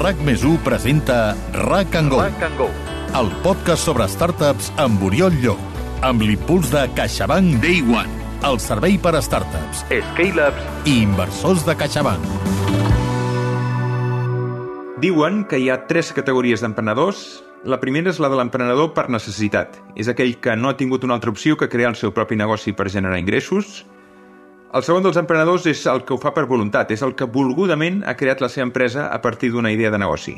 RAC+1 presenta RAC & Go, el podcast sobre startups amb Oriol Llop, amb l'impuls de CaixaBank Day One, el servei per a startups, scale-ups i inversors de CaixaBank. Diuen que hi ha 3 categories d'emprenedors. La primera és la de l'emprenedor per necessitat. És aquell que no ha tingut una altra opció que crear el seu propi negoci per generar ingressos. El segon dels emprenedors és el que ho fa per voluntat, és el que volgudament ha creat la seva empresa a partir d'una idea de negoci.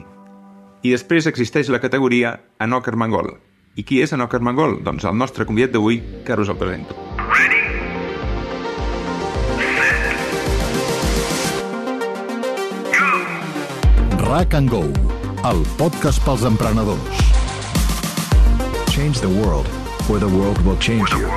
I després existeix la categoria Enoch Armengol. I qui és Enoch Armengol? Doncs el nostre convidat d'avui, que us el presento. RAC & Go, el podcast pels emprenedors. Change the world, or the world will change you.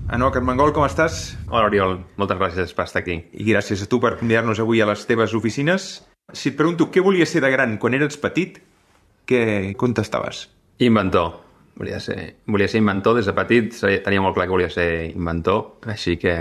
Enoch Armengol, com estàs? Hola, Oriol. Moltes gràcies per estar aquí. I gràcies a tu per convidar-nos avui a les teves oficines. Si et pregunto què volies ser de gran quan eres petit, què contestaves? Inventor. Volia ser inventor des de petit. Tenia molt clar que volia ser inventor, així que,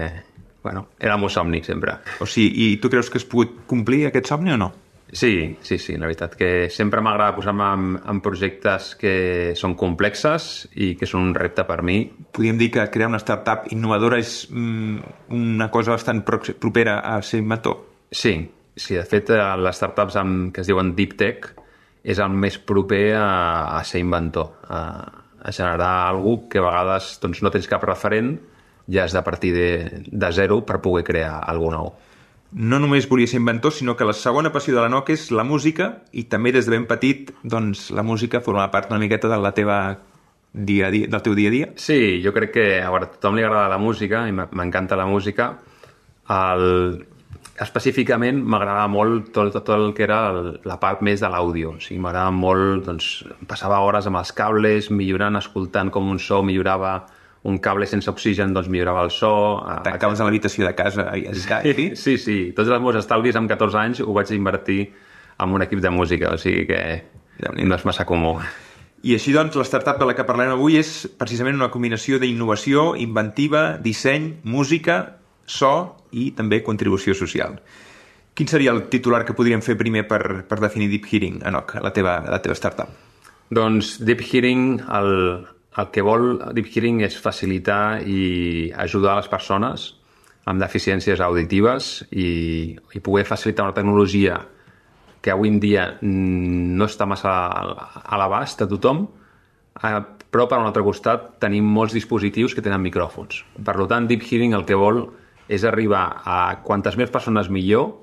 bueno, era el meu somni sempre. O sigui, i tu creus que has pogut complir aquest somni o no? Sí, la veritat que sempre m'agrada posar-me en projectes que són complexes i que són un repte per mi. Podríem dir que crear una startup innovadora és una cosa bastant propera a ser inventor? Sí, de fet, les startups que es diuen Deep Tech és el més proper a ser inventor, a generar alguna que a vegades doncs, no tens cap referent, ja has de partir de zero per poder crear alguna nou. No només volia ser inventor, sinó que la segona passió de l'Enoch és la música, i també des de ben petit, doncs, la música forma part una miqueta de la teva dia a dia, del teu dia a dia. Sí, jo crec que a tothom li agrada la música, i m'encanta la música. Específicament m'agradava molt tot el que era la part més de l'àudio. O sigui, m'agradava molt, doncs, passava hores amb els cables, millorant, escoltant com un so millorava. Un cable sense oxigen, doncs millorava el so. Acabes a l'habitació de casa i sí. Tots els meus estalvis amb 14 anys ho vaig invertir en un equip de música, o sigui que no és massa comú. I així, doncs, la startup de la que parlem avui és precisament una combinació d'innovació, inventiva, disseny, música, so i també contribució social. Quin seria el titular que podríem fer primer per definir Deep Hearing, Enoch, la teva startup? Doncs Deep Hearing, el que vol Deep Hearing és facilitar i ajudar les persones amb deficiències auditives i poder facilitar una tecnologia que avui en dia no està massa a l'abast de tothom, però per un altre costat tenim molts dispositius que tenen micròfons. Per tant, Deep Hearing el que vol és arribar a quantes més persones millor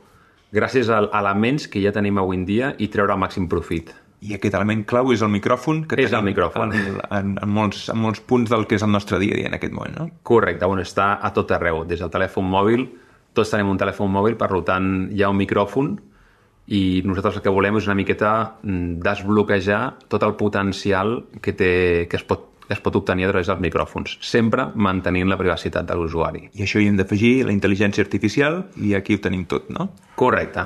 gràcies a elements que ja tenim avui en dia i treure el màxim profit. I aquest element clau és el micròfon, que és el micròfon en molts punts del que és el nostre dia a dia en aquest moment, no? Correcte, està a tot arreu, des del telèfon mòbil, tots tenim un telèfon mòbil, per tant hi ha un micròfon i nosaltres el que volem és una miqueta desbloquejar tot el potencial que es pot obtenir a través dels micròfons, sempre mantenint la privacitat de l'usuari. I això hi hem d'afegir la intel·ligència artificial i aquí ho tenim tot, no? Correcte.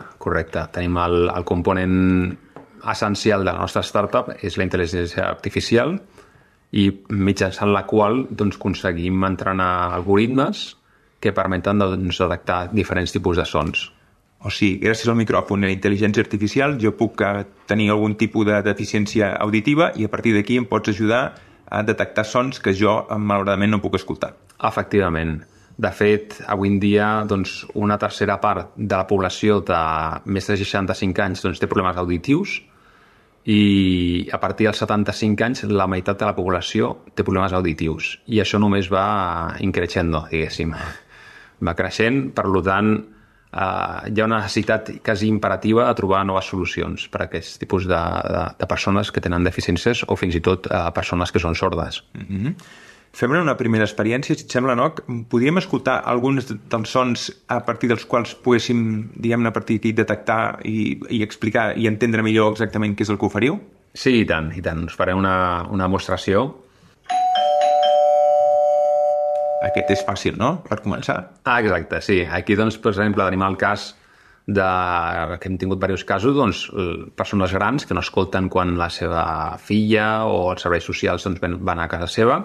Tenim el component essencial de la nostra startup és la intel·ligència artificial i mitjançant la qual doncs, aconseguim entrenar algoritmes que permeten detectar diferents tipus de sons. O sigui, gràcies al micròfon i la intel·ligència artificial jo puc tenir algun tipus de deficiència auditiva i a partir d'aquí em pots ajudar a detectar sons que jo malauradament no puc escoltar. Efectivament. De fet, avui en dia doncs, una tercera part de la població de més de 65 anys doncs, té problemes auditius i a partir dels 75 anys la meitat de la població té problemes auditius i això només va increixendo, diguéssim. Va creixent, per tant, hi ha una necessitat quasi imperativa de trobar noves solucions per a aquest tipus de persones que tenen deficiències o fins i tot persones que són sordes. Fem-ne una primera experiència, si et sembla, Enoch. Podríem escoltar alguns dels sons a partir dels quals poguéssim, diguem-ne, a partir d'aquí detectar i explicar i entendre millor exactament què és el que oferiu? Sí, i tant. Us faré una demostració. Aquest és fàcil, no?, per començar. Exacte, sí. Aquí, doncs, per exemple, tenim el cas que hem tingut diversos casos, doncs, persones grans que no escolten quan la seva filla o els serveis socials doncs, van a casa seva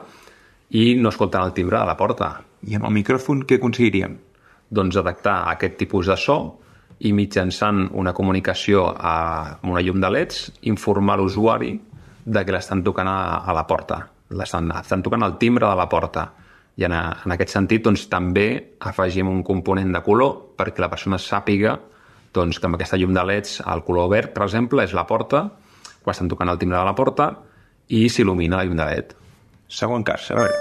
i no escolten el timbre de la porta. I amb el micròfon què aconseguiríem? doncs, detectar aquest tipus de so i mitjançant una comunicació amb una llum de LEDs informar l'usuari de que l'estan tocant a la porta. Estan tocant el timbre de la porta. I en aquest sentit doncs, també afegim un component de color perquè la persona sàpiga doncs, que amb aquesta llum de LEDs el color verd, per exemple, és la porta, quan estan tocant el timbre de la porta i s'il·lumina la llum de LED. Segon cas, a veure.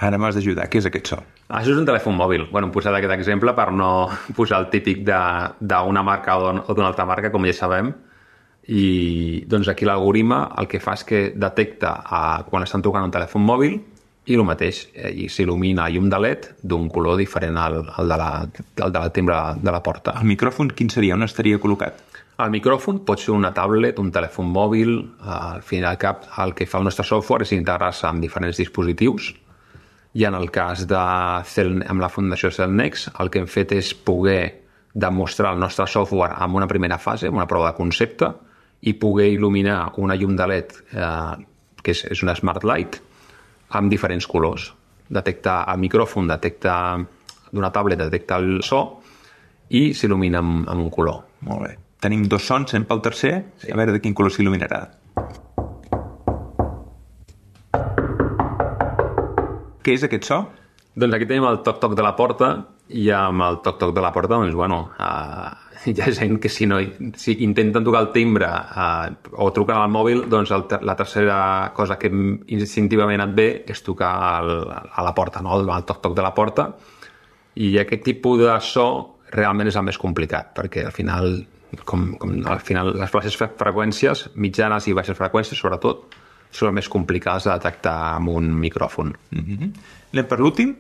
Ara m'has d'ajudar. Què és aquest so? Això és un telèfon mòbil. Hem posat aquest exemple per no posar el típic d'una marca o d'una altra marca, com ja sabem. I doncs aquí l'algoritme el que fa és que detecta quan estan tocant un telèfon mòbil i el mateix, i s'il·lumina llum de LED d'un color diferent al de la timbre de la porta. El micròfon quin seria? On estaria col·locat? El micròfon pot ser una tablet, un telèfon mòbil. Al fin i al cap, el que fa el nostre software és integrar-se amb diferents dispositius. I en el cas amb la Fundació Cellnex, el que hem fet és poder demostrar el nostre software en una primera fase, en una prova de concepte, i poder il·luminar una llum de LED, que és una Smart Light, amb diferents colors. Detecta el micròfon, d'una tablet detecta el so i s'il·lumina amb un color. Molt bé. Tenim 2 sons, anem pel tercer. Sí. A veure de quin color s'il·luminarà. Què és aquest so? Doncs aquí tenim el toc-toc de la porta i amb el toc-toc de la porta, doncs, hi ha gent que si intenten tocar el timbre o truquen al mòbil, doncs la tercera cosa que instintivament et ve és tocar a la porta, no? El toc-toc de la porta. I aquest tipus de so realment és el més complicat, perquè al final, les baixes freqüències, mitjanes i baixes freqüències, sobretot, són les més complicades de detectar amb un micròfon. Anem per l'últim?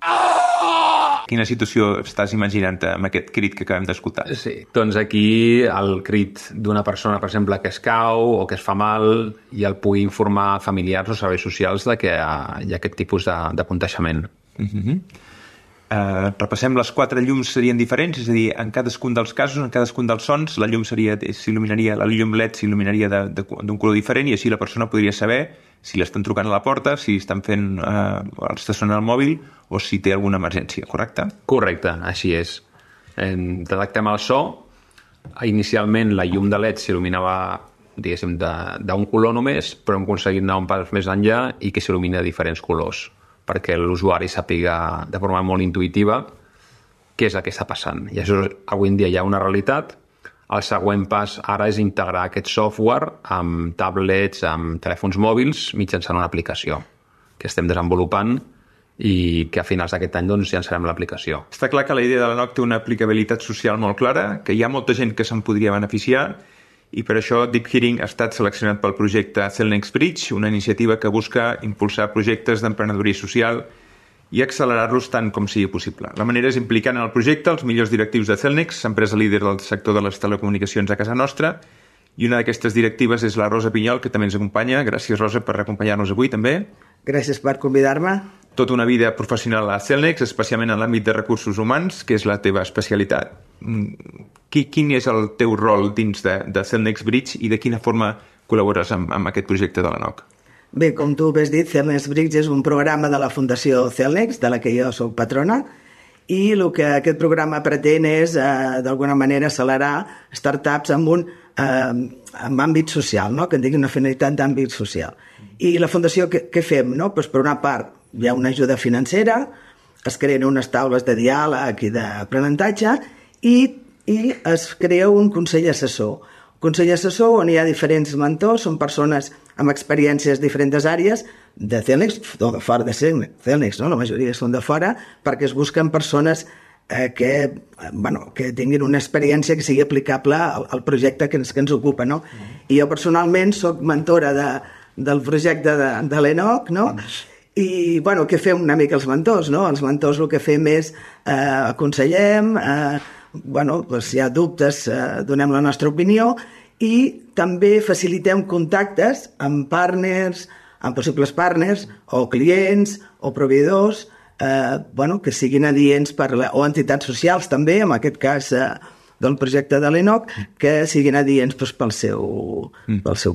Quina situació estàs imaginant amb aquest crit que acabem d'escoltar? Sí, doncs aquí el crit d'una persona, per exemple, que es cau o que es fa mal i el pugui informar familiars o serveis socials de que hi ha aquest tipus de contagiament. Repassem, les 4 llums serien diferents, és a dir, en cadascun dels casos, en cadascun dels sons, la llum la llum LED s'il·luminaria d'un color diferent i així la persona podria saber si l'estan trucant a la porta, si estan fent està sonant el mòbil o si té alguna emergència, correcte? Correcte, així és. Detectem el so. Inicialment la llum de LED s'il·luminava, diguéssim, d'un color només, però hem aconseguit anar un pas més enllà i que s'il·lumina de diferents colors, perquè l'usuari sàpiga de forma molt intuïtiva què és el que està passant. I això avui en dia hi ha una realitat. El següent pas ara és integrar aquest software amb tablets, amb telèfons mòbils, mitjançant una aplicació que estem desenvolupant i que a finals d'aquest any doncs, llançarem l'aplicació. Està clar que la idea de la NOC té una aplicabilitat social molt clara, que hi ha molta gent que se'n podria beneficiar i per això Deep Hearing ha estat seleccionat pel projecte Cellnex Bridge, una iniciativa que busca impulsar projectes d'emprenedoria social i accelerar-los tant com sigui possible. La manera és implicant en el projecte els millors directius de Cellnex, empresa líder del sector de les telecomunicacions a casa nostra, i una d'aquestes directives és la Rosa Pinyol, que també ens acompanya. Gràcies, Rosa, per acompanyar-nos avui, també. Gràcies per convidar-me. Tota una vida professional a Cellnex, especialment en l'àmbit de recursos humans, que és la teva especialitat. Quin és el teu rol dins de Cellnex Bridge i de quina forma col·labores amb aquest projecte de la NOC? Bé, com tu has dit, Cellnex Bridge és un programa de la Fundació Cellnex, de la que jo soc patrona, i el que aquest programa pretén és, d'alguna manera, accelerar startups amb àmbit social, no? Que en digui una finalitat d'àmbit social. I la Fundació, què fem? No? Pues, per una part, hi ha una ajuda financera, es creen unes taules de diàleg i d'aprenentatge i es crea un consell assessor. Un consell assessor on hi ha diferents mentors, són persones amb experiències de diferents àrees de Cellnex o de fora de Cellnex, no? La majoria són de fora, perquè es busquen persones que tinguin una experiència que sigui aplicable al projecte que ens ocupa, no? I jo personalment soc mentora del projecte de l'ENOC, no? I, què fem una mica els mentors, no? Els mentors el que fem és aconsellem, si hi ha dubtes donem la nostra opinió i també facilitem contactes amb partners, amb possibles partners o clients o proveïdors que siguin adients o entitats socials també, en aquest cas del projecte de l'ENOC, que siguin adients pel seu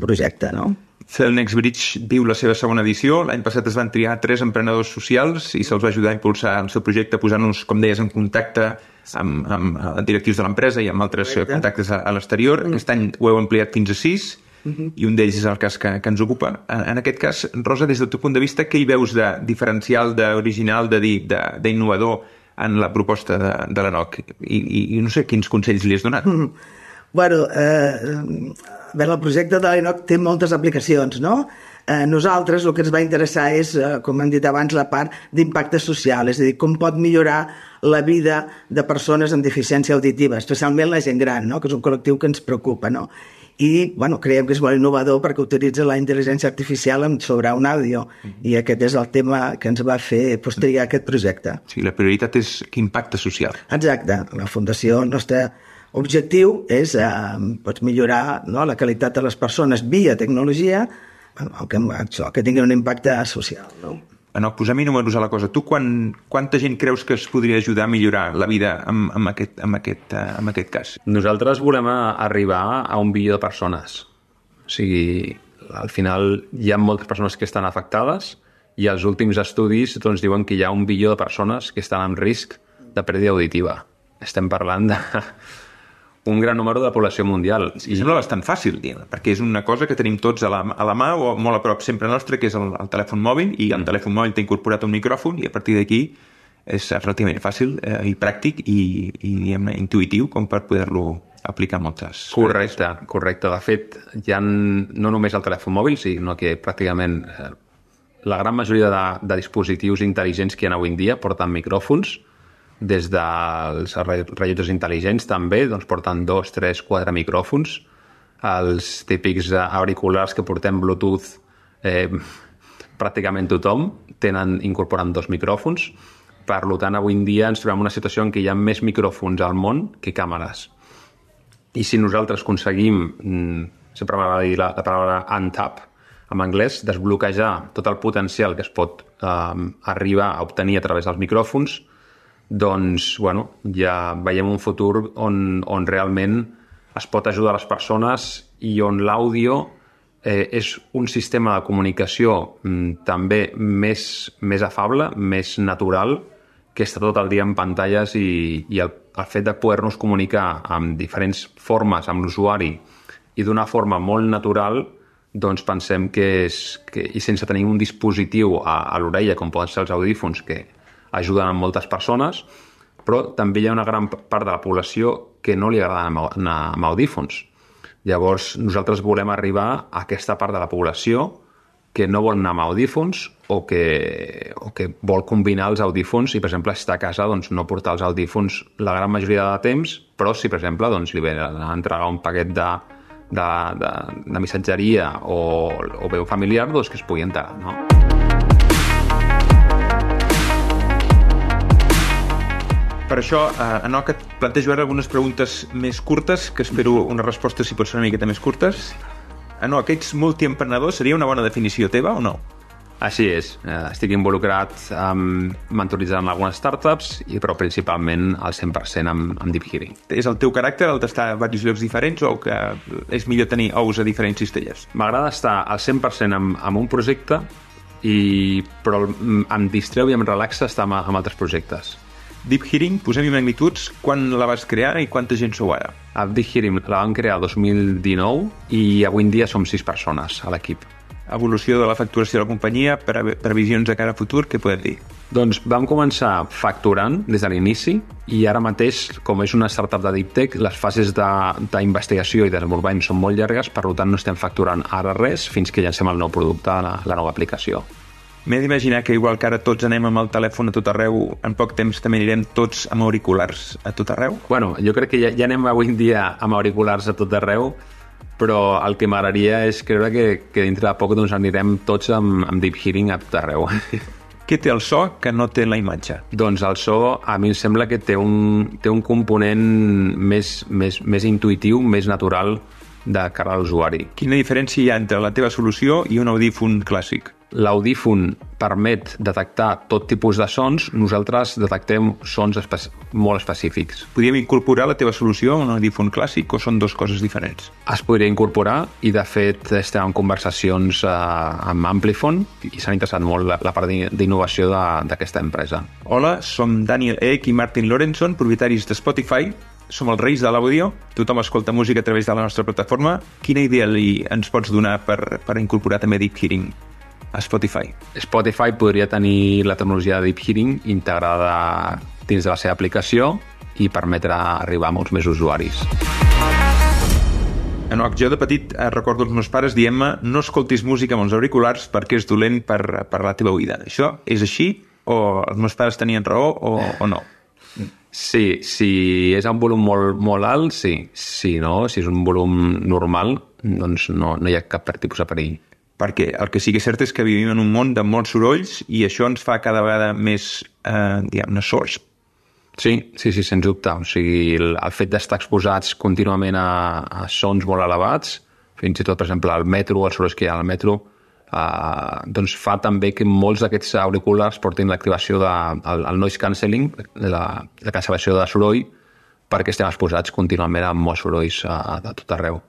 projecte, no? Cellnex Bridge viu la seva segona edició. L'any passat es van triar 3 emprenedors socials i se'ls va ajudar a impulsar el seu projecte posant-nos, com deies, en contacte amb directius de l'empresa i amb altres contactes a l'exterior. Aquest any ho heu ampliat fins a 6 i un d'ells és el cas que ens ocupa. En aquest cas, Rosa, des del teu punt de vista, què hi veus de diferencial, d'original, d'innovador en la proposta de l'ENOC? I no sé quins consells li has donat. Bueno, el projecte de l'ENOC té moltes aplicacions, no? Nosaltres el que ens va interessar és, com hem dit abans, la part d'impacte social, és a dir, com pot millorar la vida de persones amb deficiència auditiva, especialment la gent gran, no? Que és un col·lectiu que ens preocupa, no? I creiem que és molt innovador perquè utilitza la intel·ligència artificial sobre un àudio i aquest és el tema que ens va fer triar aquest projecte. Sí, la prioritat és l'impacte social. Exacte. La Fundació, el nostre objectiu és millorar la qualitat de les persones via tecnologia, que tingui un impacte social. No? Posem-hi números a la cosa. Tu quanta gent creus que es podria ajudar a millorar la vida amb aquest cas? Nosaltres volem arribar a 1 bilió de persones. O sigui, al final hi ha moltes persones que estan afectades i els últims estudis diuen que hi ha 1 bilió de persones que estan en risc de pèrdua auditiva. Estem parlant de un gran número de la població mundial. I sembla bastant fàcil, perquè és una cosa que tenim tots a la mà o molt a prop sempre nostre, que és el telèfon mòbil, i el telèfon mòbil t'ha incorporat un micròfon i a partir d'aquí és relativament fàcil i pràctic i intuïtiu com per poder-lo aplicar moltes... Correcte. De fet, hi ha no només el telèfon mòbil, sinó que pràcticament la gran majoria de dispositius intel·ligents que hi ha avui en dia porten micròfons. Des dels rellotges intel·ligents també porten 2, 3, 4 micròfons. Els típics auriculars que portem Bluetooth, pràcticament tothom incorporen 2 micròfons. Per tant, avui en dia ens trobem en una situació en què hi ha més micròfons al món que càmeres. I si nosaltres aconseguim, sempre m'agrada dir la paraula untap en anglès, desbloquejar tot el potencial que es pot arribar a obtenir a través dels micròfons, ja veiem un futur on realment es pot ajudar les persones i on l'àudio és un sistema de comunicació també més afable, més natural, que està tot el dia en pantalles i el fet de poder-nos comunicar amb diferents formes amb l'usuari i d'una forma molt natural, pensem que i sense tenir un dispositiu a l'orella, com poden ser els audífons, que ajuden a moltes persones, però també hi ha una gran part de la població que no li agrada anar amb audífons. Llavors, nosaltres volem arribar a aquesta part de la població que no vol anar amb audífons o que vol combinar els audífons i, per exemple, estar a casa, no portar els audífons la gran majoria de temps, però si, per exemple, li ve a entregar un paquet de missatgeria o bé un familiar, que es pugui enterar, no? Per això, Enoc, et plantejo ara algunes preguntes més curtes, que espero una resposta si pot ser una miqueta més curtes. Enoc, ets multiemprenedor, seria una bona definició teva o no? Així és. Estic involucrat mentoritzant algunes startups, però principalment al 100% amb Deep Hearing. És el teu caràcter el d'estar a diversos llocs diferents o que és millor tenir ous a diferents cistelles? M'agrada estar al 100% amb un projecte, però em distreu i em relaxa estar amb altres projectes. Deep Hearing, posem-hi magnituds, quan la vas crear i quanta gent sou ara? Deep Hearing la vam crear el 2019 i avui en dia som 6 persones a l'equip. Evolució de la facturació de la companyia, previsions de cara a futur, què podem dir? Doncs vam començar facturant des de l'inici i ara mateix, com és una startup de Deep Tech, les fases d'investigació i desenvolupament són molt llargues, per tant no estem facturant ara res fins que llancem el nou producte, la nova aplicació. M'he d'imaginar que igual que ara tots anem amb el telèfon a tot arreu, en poc temps també anirem tots amb auriculars a tot arreu? Bueno, jo crec que ja anem avui en dia amb auriculars a tot arreu, però el que m'agradaria és creure que dintre de poc anirem tots amb Deep Hearing a tot arreu. Què té el so que no té la imatge? Doncs el so a mi em sembla que té un component més intuïtiu, més natural de cara a l'usuari. Quina diferència hi ha entre la teva solució i un audífon clàssic? l'audífon permet detectar tot tipus de sons, nosaltres detectem sons molt específics. Podríem incorporar la teva solució a un audífon clàssic o són dues coses diferents? Es podria incorporar i, de fet, estem en conversacions amb Amplifon i s'han interessat molt la part d'innovació d'aquesta empresa. Hola, som Daniel Ek i Martin Lorenson, propietaris de Spotify. Som els reis de l'àudio, tothom escolta música a través de la nostra plataforma. Quina idea ens pots donar per incorporar també Deep Hearing a Spotify? Spotify podria tenir la tecnologia de Deep Hearing integrada dins de la seva aplicació i permetre arribar a molts més usuaris. Enoch, jo de petit recordo els meus pares dient-me no escoltis música amb els auriculars perquè és dolent per la teva oïda. Això és així o els meus pares tenien raó o no? Sí, si és un volum molt alt, sí. Si no, si és un volum normal, doncs no hi ha cap tipus de perill. Perquè el que sí que és cert és que vivim en un món de molts sorolls i això ens fa cada vegada més, diguem-ne, sords. Sí, sens dubte. O sigui, el fet d'estar exposats contínuament a sons molt elevats, fins i tot, per exemple, al metro, els sorolls que hi ha al metro, doncs fa també que molts d'aquests auriculars portin l'activació del noise cancelling, la cancel·lació de soroll, perquè estem exposats contínuament a molts sorolls de tot arreu.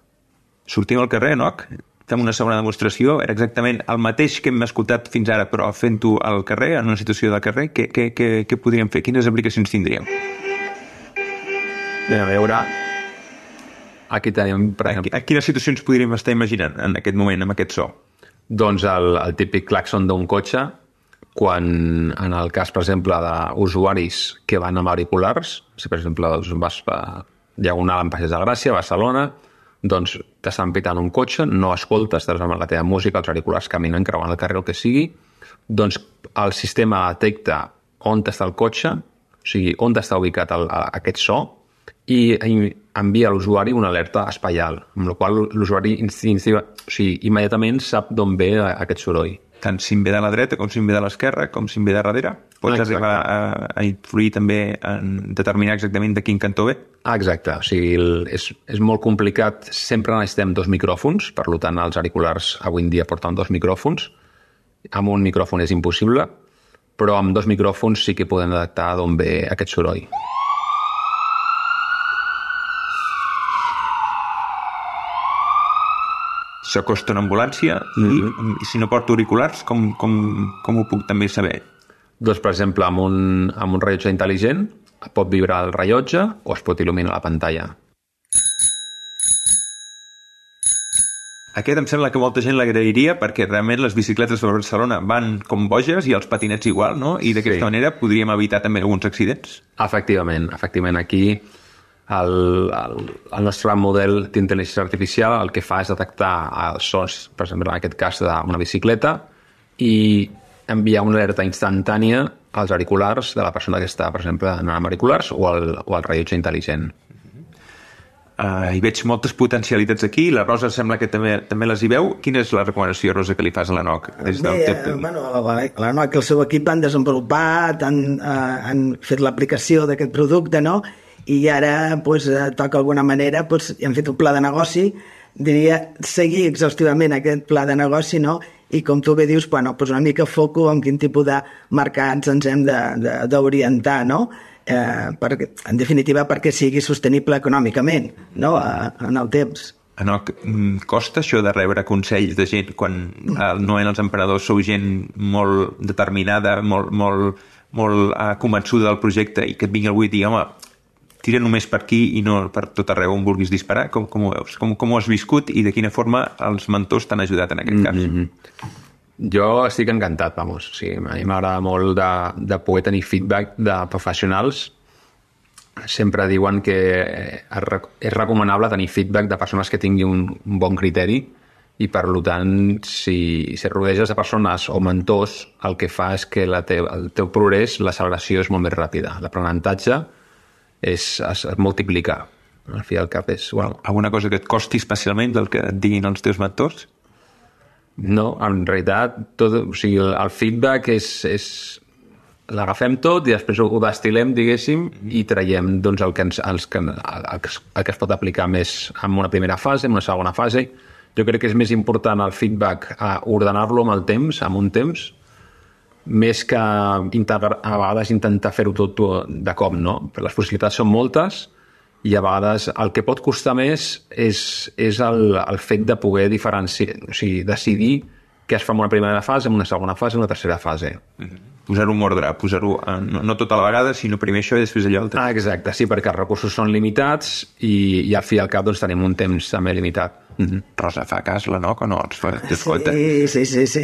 Sortim al carrer, Enoch? Fem una segona demostració. Era exactament el mateix que hem escoltat fins ara, però fent-ho al carrer, en una situació de carrer. Què podríem fer? Quines aplicacions tindríem? Anem a veure. Aquí tenim, per exemple... Quines situacions podríem estar imaginant en aquest moment, amb aquest so? Doncs el típic claxon d'un cotxe, quan en el cas, per exemple, d'usuaris que van amb auriculars, si per exemple vas a Diagonal en Passeig de Gràcia, a Barcelona, doncs t'estan pitant un cotxe, no escoltes, estàs amb la teva música, els auriculars caminant, creuant el carrer, el que sigui, doncs el sistema detecta on està el cotxe, o sigui, on està ubicat aquest so, i envia a l'usuari una alerta espaial, amb la qual l'usuari immediatament sap d'on ve aquest soroll. Tant si em ve de la dreta, com si em ve de l'esquerra, com si em ve de darrere. Pots arribar a influir també en determinar exactament de quin cantó ve? Exacte, o sigui, és molt complicat, sempre necessitem 2 micròfons, per tant els auriculars avui en dia porten 2 micròfons, amb un micròfon és impossible, però amb 2 micròfons sí que podem detectar d'on ve aquest soroll. S'acosta una ambulància i si no porto auriculars, com ho puc també saber? Doncs, per exemple, amb un rellotge intel·ligent pot vibrar el rellotge o es pot il·luminar la pantalla. Aquest em sembla que molta gent l'agrairia perquè realment les bicicletes de Barcelona van com boges i els patinets igual, no? I d'aquesta manera podríem evitar també alguns accidents. Efectivament. Aquí el nostre model d'intel·ligència artificial el que fa és detectar els sons, per exemple, en aquest cas d'una bicicleta, i enviar una alerta instantània als auriculars de la persona que està, per exemple, anant amb auriculars o al rellotge intel·ligent. Hi veig moltes potencialitats aquí. La Rosa sembla que també les hi veu. Quina és la recomanació, Rosa, que li fas a l'Enoch? L'Enoch i el seu equip han desenvolupat, han fet l'aplicació d'aquest producte, no? I ara toca d'alguna manera, hem fet un pla de negoci, diria seguir exhaustivament aquest pla de negoci, no? I com tu bé dius, una mica foco en quin tipus de mercats ens hem d'orientar, no? En definitiva, perquè sigui sostenible econòmicament, no? En el temps. Enoch, costa això de rebre consells de gent quan no en els emprenedors sou gent molt determinada, molt convençuda del projecte i que et vingui algú i digui, home, tira només per aquí i no per tot arreu on vulguis disparar? Com ho veus? Com ho has viscut i de quina forma els mentors t'han ajudat en aquest cas? Jo estic encantat, vamos. Sí, a mi m'agrada molt de poder tenir feedback de professionals. Sempre diuen que és recomanable tenir feedback de persones que tinguin un bon criteri i, per tant, si rodeges de persones o mentors, el que fa és que el teu progrés, l'acceleració és molt més ràpida. L'aprenentatge es multiplica. Al fi al cap és... Alguna cosa que et costi especialment del que et diguin els teus mentors? No, en realitat el feedback és l'agafem tot i després ho destil·lem, diguéssim, i traiem el que es pot aplicar més en una primera fase, en una segona fase, Jo crec que és més important el feedback a ordenar-lo amb el temps, amb un temps, més que a vegades intentar fer-ho tot de cop, no? Les possibilitats són moltes i a vegades el que pot costar més és el fet de poder diferenciar, o sigui, decidir què es fa en una primera fase, en una segona fase, en una tercera fase. Posar-ho en ordre, posar-ho no tota la vegada, sinó primer això i després allò altre. Exacte, sí, perquè els recursos són limitats i al fi i al cap doncs, tenim un temps també limitat. Rosa, fa cas l'Enoc o no? Escolta. Sí.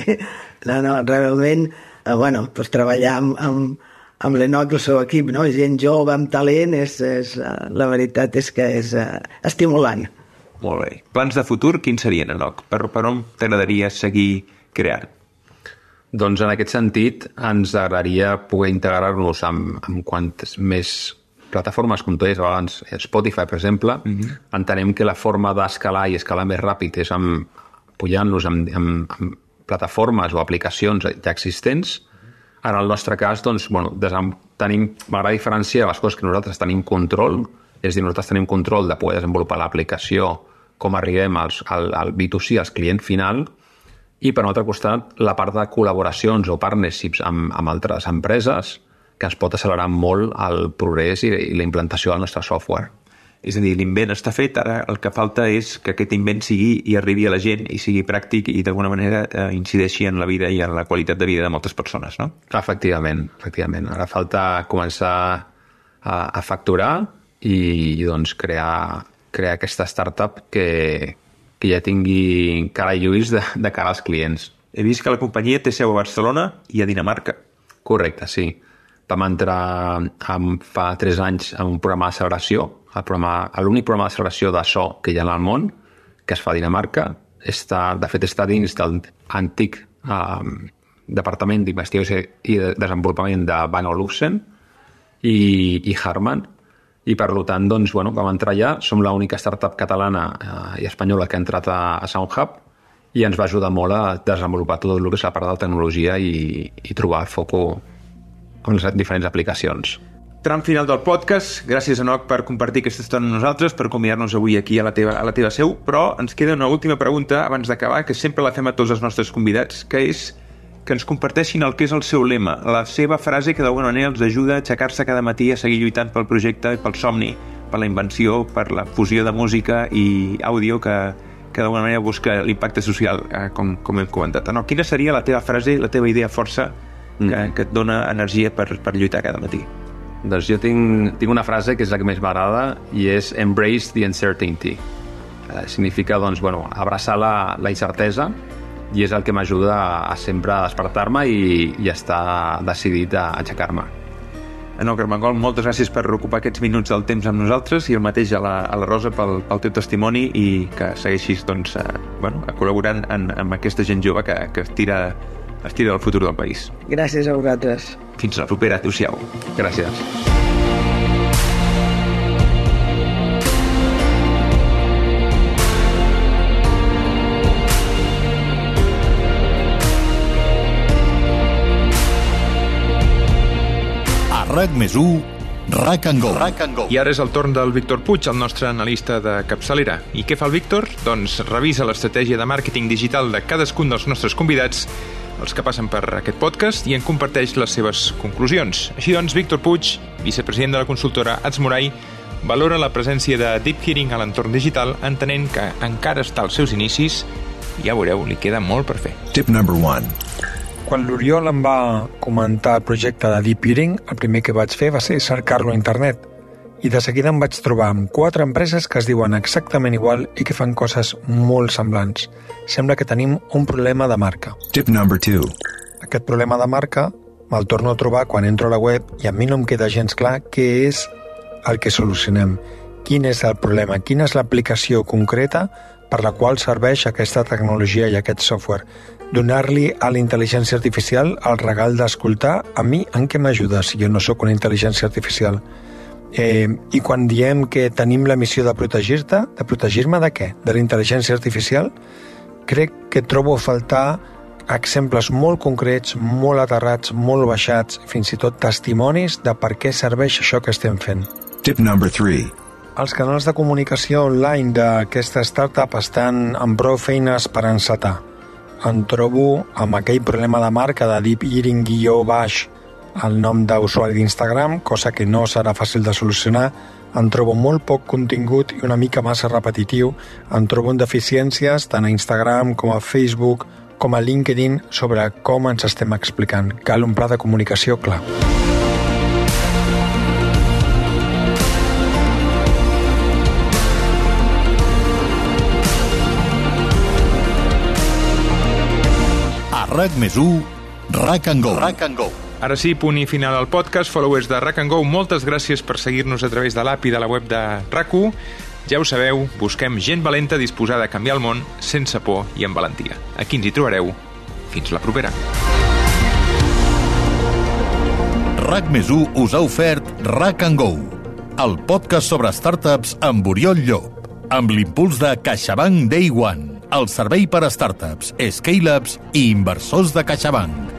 No, realment, doncs treballar amb l'Enoc i el seu equip, no? Gent jove, amb talent, la veritat és que és estimulant. Molt bé. Plans de futur, quins serien, Enoc? Per on t'agradaria seguir creant? Doncs en aquest sentit ens agradaria poder integrar-nos amb quantes més plataformes, com tu deies abans, Spotify, per exemple. Entenem que la forma d'escalar i escalar més ràpid és pujant-nos amb plataformes o aplicacions ja existents. En el nostre cas, doncs, m'agrada diferenciar les coses que nosaltres tenim control, és a dir, nosaltres tenim control de poder desenvolupar l'aplicació, com arribem al B2C, als client final, i per un altre costat la part de col·laboracions o partnerships amb altres empreses que ens pot accelerar molt el progrés i la implantació del nostre software. És a dir, l'invent està fet, ara el que falta és que aquest invent sigui i arribi a la gent i sigui pràctic i d'alguna manera incideixi en la vida i en la qualitat de vida de moltes persones, no? Efectivament. Ara falta començar a facturar i doncs crear aquesta startup que ja tingui cara i ulls de cara als clients. He vist que la companyia té seu a Barcelona i a Dinamarca. Correcte, sí. Vam entrar fa 3 anys en un programa de celebració, l'únic programa de celebració de so que hi ha al món, que es fa a Dinamarca. De fet, està dins del antic Departament d'Investigació i de Desenvolupament de Bang & Olufsen i Harman. I per tant, doncs, vam entrar allà, som l'única startup catalana i espanyola que ha entrat a SoundHub i ens va ajudar molt a desenvolupar tot el que és la part de la tecnologia i trobar foco en les diferents aplicacions. Tram final del podcast. Gràcies, Enoc, per compartir aquesta estona amb nosaltres, per convidar-nos avui aquí a la teva seu, però ens queda una última pregunta abans d'acabar, que sempre la fem a tots els nostres convidats, que és que ens comparteixin el que és el seu lema, la seva frase que d'alguna manera els ajuda a aixecar-se cada matí a seguir lluitant pel projecte, pel somni, per la invenció, per la fusió de música i àudio que d'alguna manera busca l'impacte social, com hem comentat. No, quina seria la teva frase, la teva idea força que et dona energia per lluitar cada matí? Doncs jo tinc una frase que és la que més m'agrada i és embrace the uncertainty. Significa, abraçar la incertesa, i és el que m'ajuda a sempre despertar-me i estar decidit a aixecar-me. Enoc Armengol, moltes gràcies per ocupar aquests minuts del temps amb nosaltres i el mateix a la Rosa pel teu testimoni i que segueixis col·laborant amb aquesta gent jove que es tira del futur del país. Gràcies a vosaltres. Fins la propera. Adéu-siau. Gràcies. RAC+1, RAC & Go. I ara és el torn del Víctor Puig, el nostre analista de capçalera. I què fa el Víctor? Doncs revisa l'estratègia de màrqueting digital de cadascun dels nostres convidats, els que passen per aquest podcast, i en comparteix les seves conclusions. Així doncs, Víctor Puig, vicepresident de la consultora Adsmoray, valora la presència de Deep Hearing a l'entorn digital, entenent que encara està als seus inicis i ja veureu, li queda molt per fer. Tip number 1. Quan l'Oriol em va comentar el projecte de Deep Hearing, el primer que vaig fer va ser cercar-lo a internet. I de seguida em vaig trobar amb 4 empreses que es diuen exactament igual i que fan coses molt semblants. Sembla que tenim un problema de marca. Tip number 2. Aquest problema de marca me'l torno a trobar quan entro a la web i a mi no em queda gens clar què és el que solucionem. Quin és el problema? Quina és l'aplicació concreta per la qual serveix aquesta tecnologia i aquest software? Donar-li a la intel·ligència artificial el regal d'escoltar a mi en què m'ajuda si jo no sóc una intel·ligència artificial. I quan diem que tenim la missió de protegir-te, de protegir-me de què? De la intel·ligència artificial? Crec que trobo a faltar exemples molt concrets, molt aterrats, molt baixats, fins i tot testimonis de per què serveix això que estem fent. Tip number 3. els canals de comunicació online d'aquesta startup estan amb prou feines per encetar. Em trobo amb aquell problema de marca de Deep Hearing _ el nom d'usuari d'Instagram, cosa que no serà fàcil de solucionar. Em trobo molt poc contingut i una mica massa repetitiu. Em trobo en deficiències tant a Instagram com a Facebook com a LinkedIn sobre com ens estem explicant. Cal un pla de comunicació clar. A RAC+1, RAC & Go. Ara sí, punt i final al podcast. Followers de RAC & Go, moltes gràcies per seguir-nos a través de l'app i de la web de RAC1. Ja ho sabeu, busquem gent valenta disposada a canviar el món sense por i amb valentia. Aquí ens hi trobareu. Fins la propera. RAC+1 us ha ofert RAC & Go, el podcast sobre startups amb Oriol Llop, amb l'impuls de CaixaBank Day One, el servei per a startups, scale-ups i inversors de CaixaBank.